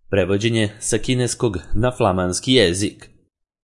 Prevođenje sa kineskog na flamanski jezik.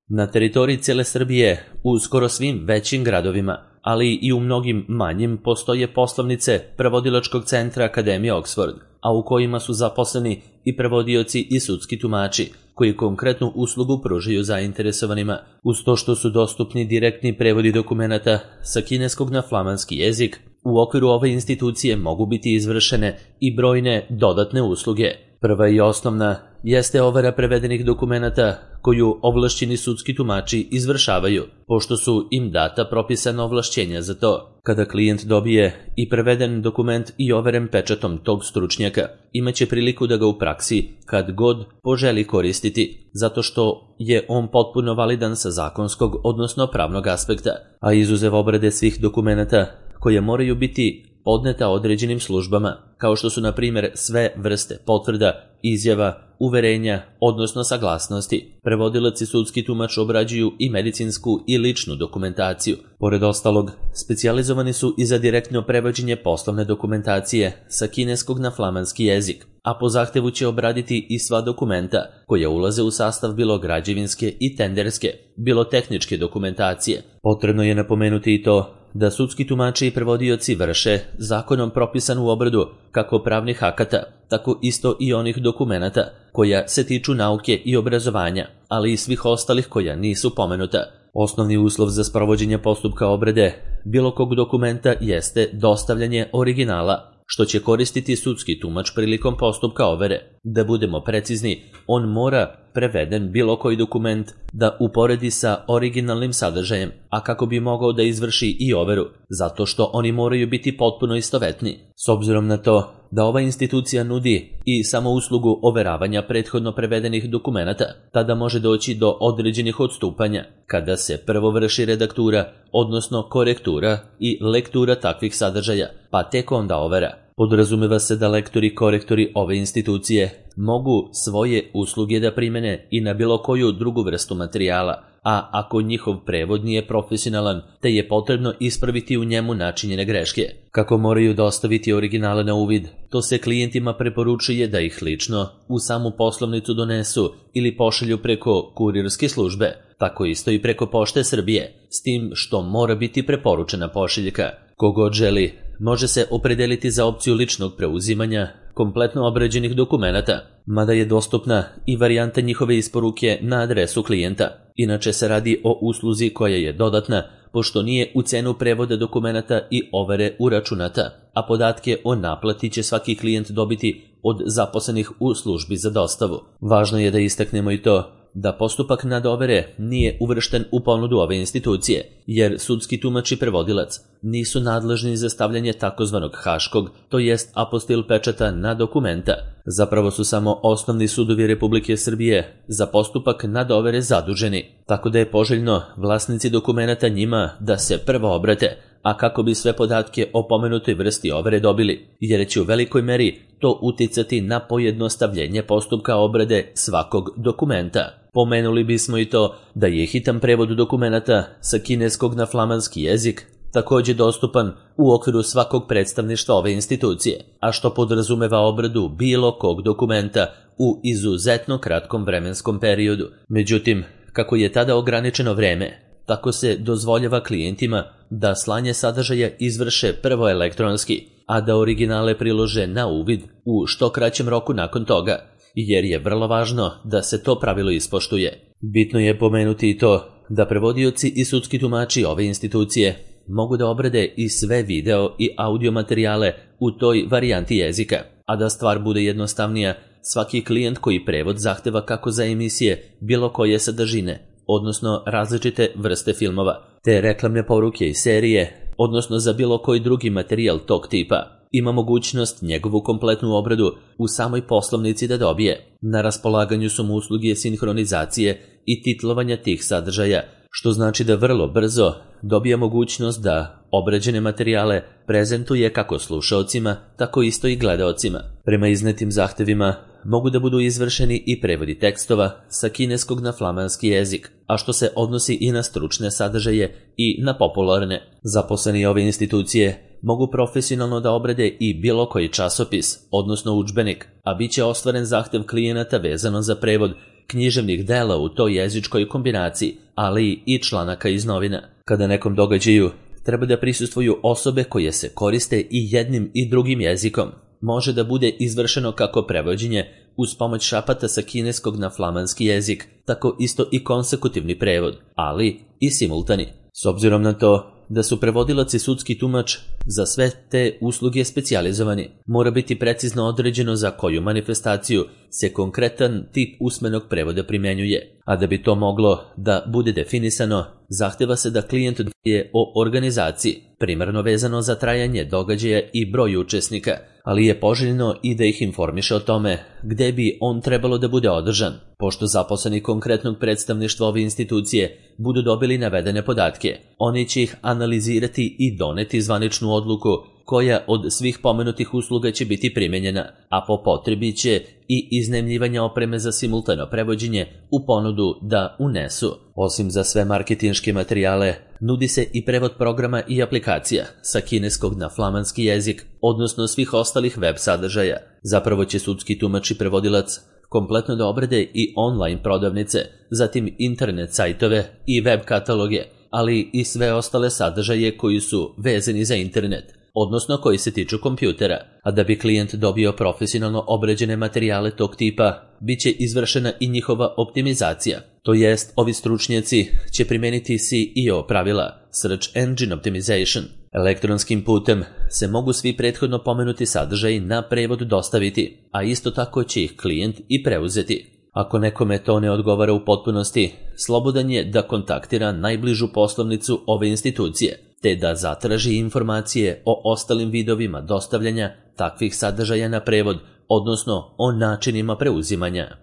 Na teritoriji cijele Srbije, u skoro svim većim gradovima, ali i u mnogim manjim, postoje poslovnice Prevodilačkog centra Akademije Oxford, a u kojima su zaposleni i prevodioci i sudski tumači, koji konkretnu uslugu pružaju zainteresovanima, uz to što su dostupni direktni prevodi dokumenata sa kineskog na flamanski jezik. U okviru ove institucije mogu biti izvršene i brojne dodatne usluge. Prva i osnovna jeste overa prevedenih dokumenata koju ovlašćeni sudski tumači izvršavaju, pošto su im data propisana ovlašćenja za to. Kada klijent dobije i preveden dokument i overen pečatom tog stručnjaka, imaće priliku da ga u praksi kad god poželi koristiti, zato što je on potpuno validan sa zakonskog, odnosno pravnog aspekta, a izuzev obrade svih dokumenata koje moraju biti podneta određenim službama, kao što su na primjer sve vrste potvrda, izjava, uverenja, odnosno saglasnosti. Prevodilac i sudski tumač obrađuju i medicinsku i ličnu dokumentaciju. Pored ostalog, specijalizovani su i za direktno prevođenje poslovne dokumentacije sa kineskog na flamanski jezik, a po zahtevu će obraditi i sva dokumenta koja ulaze u sastav bilo građevinske i tenderske, bilo tehničke dokumentacije. Potrebno je napomenuti i to da sudski tumači i prevodioci vrše zakonom propisanu obradu kako pravnih akata, tako isto i onih dokumenata koja se tiču nauke i obrazovanja, ali i svih ostalih koja nisu pomenuta. Osnovni uslov za sprovođenje postupka obrade bilo kog dokumenta jeste dostavljanje originala, što će koristiti sudski tumač prilikom postupka overe. Da budemo precizni, on mora preveden bilo koji dokument da uporedi sa originalnim sadržajem, a kako bi mogao da izvrši i overu, zato što oni moraju biti potpuno istovetni. S obzirom na to da ova institucija nudi i samo uslugu overavanja prethodno prevedenih dokumenata, tada može doći do određenih odstupanja, kada se prvo vrši redaktura, odnosno korektura i lektura takvih sadržaja, pa tek onda overa. Podrazumeva se da lektori i korektori ove institucije mogu svoje usluge da primene i na bilo koju drugu vrstu materijala, a ako njihov prevod nije profesionalan, te je potrebno ispraviti u njemu načinjene greške. Kako moraju dostaviti originale na uvid, to se klijentima preporučuje da ih lično u samu poslovnicu donesu ili pošalju preko kurirske službe, tako isto i preko Pošte Srbije, s tim što mora biti preporučena pošiljka. Kogod želi, može se opredeliti za opciju ličnog preuzimanja kompletno obrađenih dokumenata, mada je dostupna i varijanta njihove isporuke na adresu klijenta. Inače se radi o usluzi koja je dodatna, pošto nije u cenu prevoda dokumenata i overe uračunata, a podatke o naplati će svaki klijent dobiti od zaposlenih u službi za dostavu. Važno je da istaknemo i to da postupak nadovere nije uvršten u ponudu ove institucije, jer sudski tumač i prevodilac nisu nadležni za stavljanje takozvanog haškog, to jest apostil pečata na dokumenta. Zapravo su samo osnovni sudovi Republike Srbije za postupak nadovere zaduženi, tako da je poželjno vlasnici dokumenata njima da se prvo obrate, a kako bi sve podatke o pomenutoj vrsti overe dobili, jer će u velikoj meri to uticati na pojednostavljenje postupka obrade svakog dokumenta. Pomenuli bismo i to da je hitan prevod dokumenata sa kineskog na flamanski jezik također dostupan u okviru svakog predstavništva ove institucije, a što podrazumeva obradu bilo kog dokumenta u izuzetno kratkom vremenskom periodu. Međutim, kako je tada ograničeno vreme, tako se dozvoljava klijentima da slanje sadržaja izvrše prvo elektronski, a da originale prilože na uvid u što kraćem roku nakon toga, jer je vrlo važno da se to pravilo ispoštuje. Bitno je pomenuti i to da prevodioci i sudski tumači ove institucije mogu da obrade i sve video i audio materijale u toj varijanti jezika, a da stvar bude jednostavnija, svaki klijent koji prevod zahteva kako za emisije bilo koje sadržine, odnosno različite vrste filmova, te reklamne poruke i serije, odnosno za bilo koji drugi materijal tog tipa, ima mogućnost njegovu kompletnu obradu u samoj poslovnici da dobije. Na raspolaganju su mu usluge sinhronizacije i titlovanja tih sadržaja, što znači da vrlo brzo dobija mogućnost da obrađene materijale prezentuje kako slušaocima, tako isto i gledaocima. Prema iznetim zahtevima mogu da budu izvršeni i prevodi tekstova sa kineskog na flamanski jezik, a što se odnosi i na stručne sadržaje i na popularne. Zaposleni ove institucije mogu profesionalno da obrade i bilo koji časopis, odnosno udžbenik, a bit će ostvaren zahtev klijenata vezano za prevod književnih dela u toj jezičkoj kombinaciji, ali i članaka iz novina. Kada nekom događaju treba da prisustvuju osobe koje se koriste i jednim i drugim jezikom, može da bude izvršeno kako prevođenje uz pomoć šapata sa kineskog na flamanski jezik, tako isto i konsekutivni prevod, ali i simultani. S obzirom na to da su prevodilac i sudski tumač za sve te usluge specijalizovani, mora biti precizno određeno za koju manifestaciju se konkretan tip usmenog prevoda primenjuje, a da bi to moglo da bude definisano, zahteva se da klijent je o organizaciji, primarno vezano za trajanje događaja i broj učesnika, ali je poželjno i da ih informiše o tome gde bi on trebalo da bude održan, pošto zaposleni konkretnog predstavništva ove institucije budu dobili navedene podatke. Oni će ih analizirati i doneti zvaničnu odluku koja od svih pomenutih usluga će biti primenjena, a po potrebi će i iznajmljivanja opreme za simultano prevođenje u ponudu da unesu. Osim za sve marketinške materijale, nudi se i prevod programa i aplikacija sa kineskog na flamanski jezik, odnosno svih ostalih web sadržaja. Zapravo će sudski tumač i prevodilac kompletno da obrade i online prodavnice, zatim internet sajtove i web kataloge, ali i sve ostale sadržaje koji su vezani za internet, odnosno koji se tiču kompjutera, a da bi klijent dobio profesionalno obrađene materijale tog tipa, bit će izvršena i njihova optimizacija. To jest, ovi stručnjaci će primeniti SEO pravila, Search Engine Optimization. Elektronskim putem se mogu svi prethodno pomenuti sadržaji na prevod dostaviti, a isto tako će ih klijent i preuzeti. Ako nekome to ne odgovara u potpunosti, slobodan je da kontaktira najbližu poslovnicu ove institucije, te da zatraži informacije o ostalim vidovima dostavljanja takvih sadržaja na prevod, odnosno o načinima preuzimanja.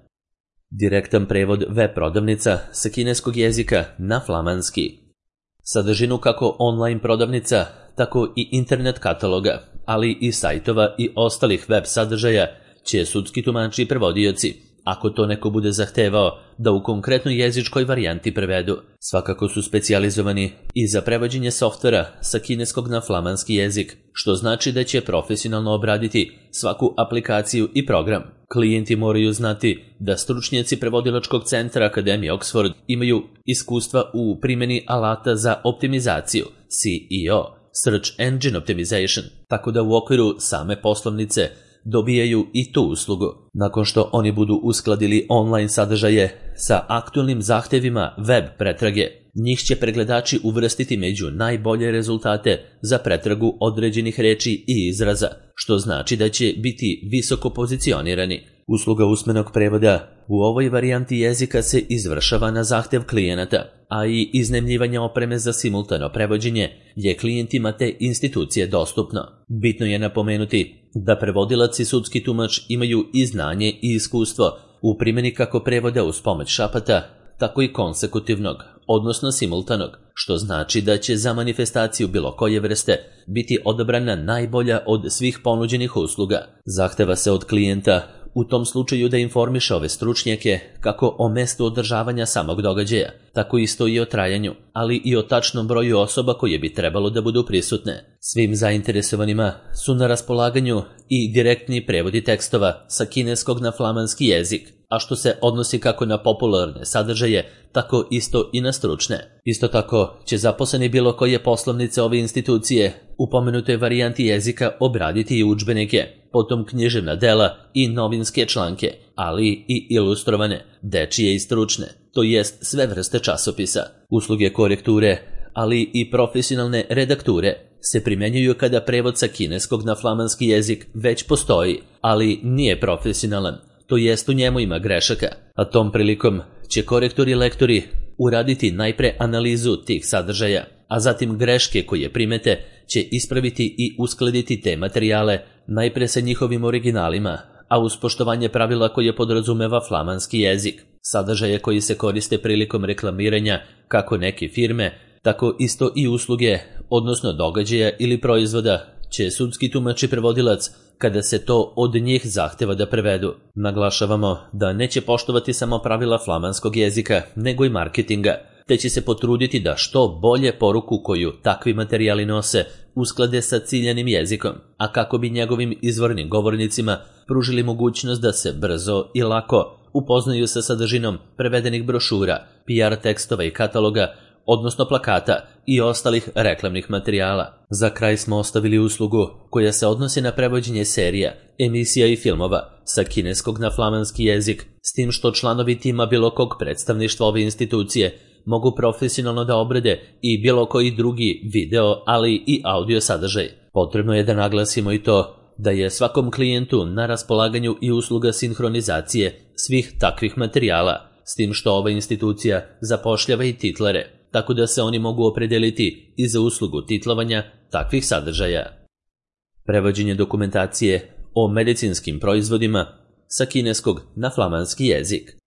Direktan prevod web prodavnica sa kineskog jezika na flamanski. Sadržinu kako online prodavnica, tako i internet kataloga, ali i sajtova i ostalih web sadržaja će sudski tumači i prevodioci, ako to neko bude zahtevao, da u konkretnoj jezičkoj varijanti prevedu. Svakako su specijalizovani i za prevođenje softvera sa kineskog na flamanski jezik, što znači da će profesionalno obraditi svaku aplikaciju i program. Klijenti moraju znati da stručnjaci prevodilačkog centra Akademije Oxford imaju iskustva u primjeni alata za optimizaciju, SEO, Search Engine Optimization, tako da u okviru same poslovnice dobijaju i tu uslugu. Nakon što oni budu uskladili online sadržaje sa aktualnim zahtevima web pretrage, njih će pregledači uvrstiti među najbolje rezultate za pretragu određenih reči i izraza, što znači da će biti visoko pozicionirani. Usluga usmenog prevoda u ovoj varijanti jezika se izvršava na zahtev klijenata, a i iznajmljivanje opreme za simultano prevođenje je klijentima te institucije dostupno. Bitno je napomenuti da prevodilac i sudski tumač imaju i znanje i iskustvo u primjeni kako prevoda uz pomoć šapata, tako i konsekutivnog, odnosno simultanog, što znači da će za manifestaciju bilo koje vrste biti odabrana najbolja od svih ponuđenih usluga. Zahteva se od klijenta u tom slučaju da informiše ove stručnjake kako o mestu održavanja samog događaja, tako isto i o trajanju, ali i o tačnom broju osoba koje bi trebalo da budu prisutne. Svim zainteresovanima su na raspolaganju i direktni prevodi tekstova sa kineskog na flamanski jezik, a što se odnosi kako na popularne sadržaje, tako isto i na stručne. Isto tako će zaposleni bilo koje poslovnice ove institucije u pomenutoj varijanti jezika obraditi i udžbenike, potom književna dela i novinske članke, ali i ilustrovane, dečije i stručne, to jest sve vrste časopisa. Usluge korekture, ali i profesionalne redakture se primenjuju kada prevod sa kineskog na flamanski jezik već postoji, ali nije profesionalan, to jest u njemu ima grešaka, a tom prilikom će korektori i lektori uraditi najpre analizu tih sadržaja, a zatim greške koje primete će ispraviti i uskladiti te materijale najpre sa njihovim originalima, a uz poštovanje pravila koje podrazumeva flamanski jezik. Sadržaje koji se koriste prilikom reklamiranja kako neke firme, tako isto i usluge, odnosno događaja ili proizvoda, će sudski tumač i prevodilac kada se to od njih zahteva da prevedu. Naglašavamo da neće poštovati samo pravila flamanskog jezika, nego i marketinga, te će se potruditi da što bolje poruku koju takvi materijali nose usklade sa ciljanim jezikom, a kako bi njegovim izvornim govornicima pružili mogućnost da se brzo i lako upoznaju sa sadržinom prevedenih brošura, PR tekstova i kataloga, odnosno plakata i ostalih reklamnih materijala. Za kraj smo ostavili uslugu koja se odnosi na prevođenje serija, emisija i filmova sa kineskog na flamanski jezik, s tim što članovi tima bilo kog predstavništva ove institucije mogu profesionalno da obrade i bilo koji drugi video, ali i audio sadržaj. Potrebno je da naglasimo i to da je svakom klijentu na raspolaganju i usluga sinhronizacije svih takvih materijala, s tim što ova institucija zapošljava i titlere, tako da se oni mogu opredeliti i za uslugu titlovanja takvih sadržaja. Prevođenje dokumentacije o medicinskim proizvodima sa kineskog na flamanski jezik.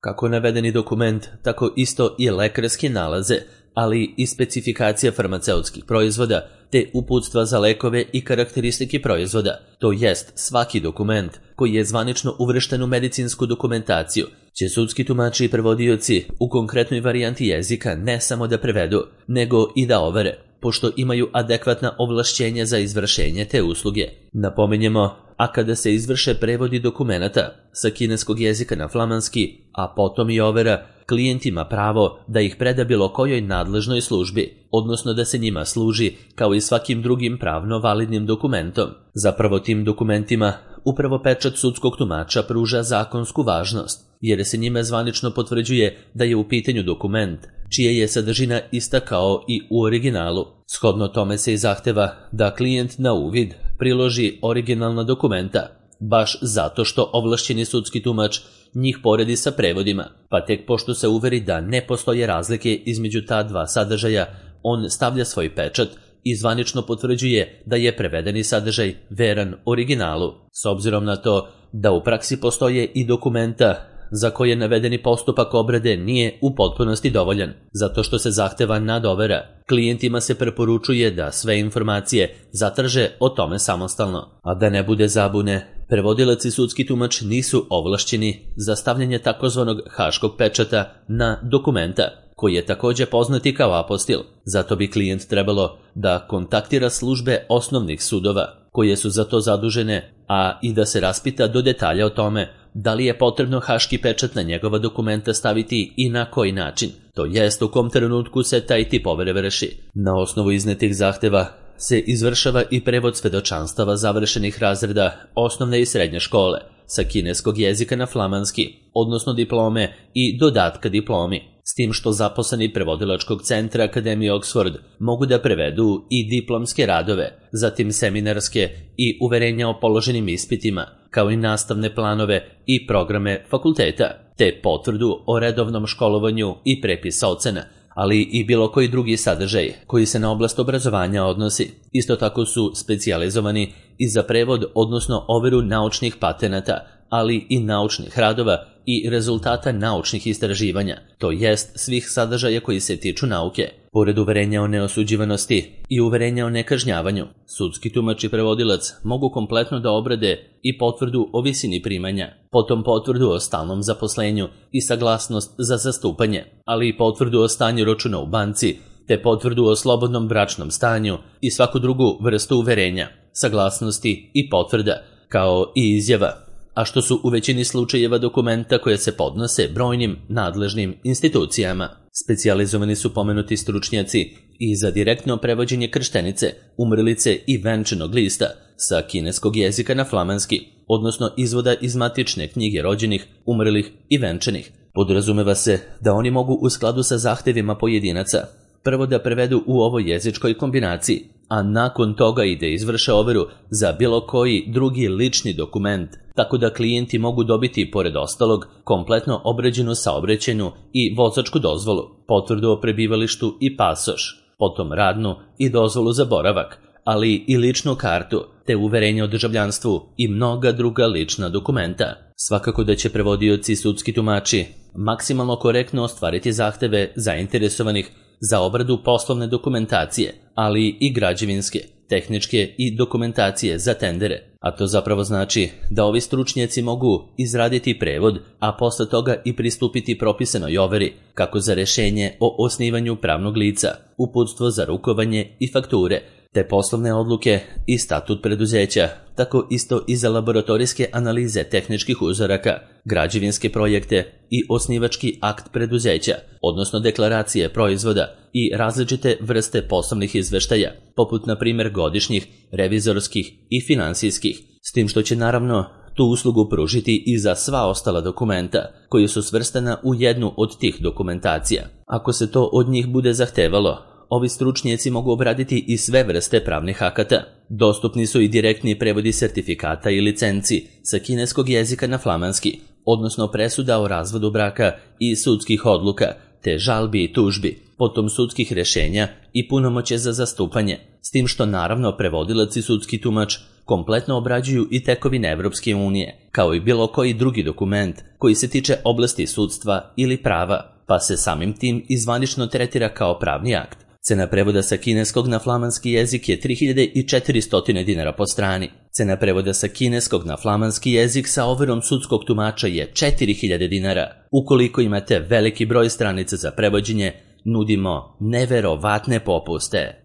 Kako navedeni dokument, tako isto i lekarske nalaze, ali i specifikacija farmaceutskih proizvoda, te uputstva za lekove i karakteristike proizvoda, to jest svaki dokument koji je zvanično uvršten u medicinsku dokumentaciju, će sudski tumači i prevodioci u konkretnoj varijanti jezika ne samo da prevedu, nego i da overe, pošto imaju adekvatna ovlašćenja za izvršenje te usluge. Napominjemo, a kada se izvrše prevodi dokumenata sa kineskog jezika na flamanski, a potom i overa, klijent ima pravo da ih preda bilo kojoj nadležnoj službi, odnosno da se njima služi kao i svakim drugim pravno validnim dokumentom. Zapravo tim dokumentima upravo pečat sudskog tumača pruža zakonsku važnost, jer se njime zvanično potvrđuje da je u pitanju dokument čija je sadržina ista kao i u originalu. Shodno tome se i zahteva da klijent na uvid priloži originalna dokumenta, baš zato što ovlašćeni sudski tumač njih poredi sa prevodima, pa tek pošto se uveri da ne postoje razlike između ta dva sadržaja, on stavlja svoj pečat i zvanično potvrđuje da je prevedeni sadržaj veran originalu, s obzirom na to da u praksi postoje i dokumenta za koje navedeni postupak obrade nije u potpunosti dovoljan, zato što se zahteva nadovera. Klijentima se preporučuje da sve informacije zatraže o tome samostalno. A da ne bude zabune, prevodilac i sudski tumač nisu ovlašćeni za stavljanje takozvanog haškog pečata na dokumenta, koji je također poznati kao apostil. Zato bi klijent trebalo da kontaktira službe osnovnih sudova, koje su za to zadužene, a i da se raspita do detalja o tome da li je potrebno haški pečat na njegova dokumenta staviti i na koji način, to jest u kom trenutku se taj tip overe vrši. Na osnovu iznetih zahteva se izvršava i prevod svedočanstava završenih razreda osnovne i srednje škole sa kineskog jezika na flamanski, odnosno diplome i dodatka diplomi, s tim što zaposleni prevodilačkog centra Akademije Oxford mogu da prevedu i diplomske radove, zatim seminarske i uverenja o položenim ispitima, kao i nastavne planove i programe fakulteta, te potvrdu o redovnom školovanju i prepis ocena, ali i bilo koji drugi sadržaj koji se na oblast obrazovanja odnosi. Isto tako su specijalizovani i za prevod, odnosno overu naučnih patenata, ali i naučnih radova i rezultata naučnih istraživanja, to jest svih sadržaja koji se tiču nauke. Pored uverenja o neosuđivanosti i uverenja o nekažnjavanju, sudski tumač i prevodilac mogu kompletno da obrade i potvrdu o visini primanja, potom potvrdu o stalnom zaposlenju i saglasnost za zastupanje, ali i potvrdu o stanju računa u banci, te potvrdu o slobodnom bračnom stanju i svaku drugu vrstu uverenja, saglasnosti i potvrda, kao i izjava, a što su u većini slučajeva dokumenta koje se podnose brojnim nadležnim institucijama. Specijalizovani su pomenuti stručnjaci i za direktno prevođenje krštenice, umrlice i venčanog lista sa kineskog jezika na flamanski, odnosno izvoda iz matične knjige rođenih, umrlih i venčanih. Podrazumeva se da oni mogu u skladu sa zahtevima pojedinaca prvo da prevedu u ovoj jezičkoj kombinaciji, a nakon toga i da izvrše overu za bilo koji drugi lični dokument, tako da klijenti mogu dobiti, pored ostalog, kompletno obrađenu saobraćajnu i vozačku dozvolu, potvrdu o prebivalištu i pasoš, potom radnu i dozvolu za boravak, ali i ličnu kartu, te uverenje o državljanstvu i mnoga druga lična dokumenta. Svakako da će prevodioci i sudski tumači maksimalno korektno ostvariti zahteve zainteresovanih za obradu poslovne dokumentacije, ali i građevinske, tehničke i dokumentacije za tendere, a to zapravo znači da ovi stručnjaci mogu izraditi prevod, a posle toga i pristupiti propisanoj overi, kako za rešenje o osnivanju pravnog lica, uputstvo za rukovanje i fakture, te poslovne odluke i statut preduzeća, tako isto i za laboratorijske analize tehničkih uzoraka, građevinske projekte i osnivački akt preduzeća, odnosno deklaracije proizvoda i različite vrste poslovnih izveštaja, poput na primjer godišnjih, revizorskih i finansijskih, s tim što će naravno tu uslugu pružiti i za sva ostala dokumenta, koji su svrstana u jednu od tih dokumentacija. Ako se to od njih bude zahtevalo, ovi stručnjaci mogu obraditi i sve vrste pravnih akata. Dostupni su i direktni prevodi sertifikata i licenci sa kineskog jezika na flamanski, odnosno presuda o razvodu braka i sudskih odluka, te žalbi i tužbi, potom sudskih rešenja i punomoćje za zastupanje, s tim što naravno prevodilac i sudski tumač kompletno obrađuju i tekovine Evropske unije, kao i bilo koji drugi dokument koji se tiče oblasti sudstva ili prava, pa se samim tim i zvanično tretira kao pravni akt. Cena prevoda sa kineskog na flamanski jezik je 3400 dinara po strani. Cena prevoda sa kineskog na flamanski jezik sa overom sudskog tumača je 4000 dinara. Ukoliko imate veliki broj stranica za prevođenje, nudimo neverovatne popuste.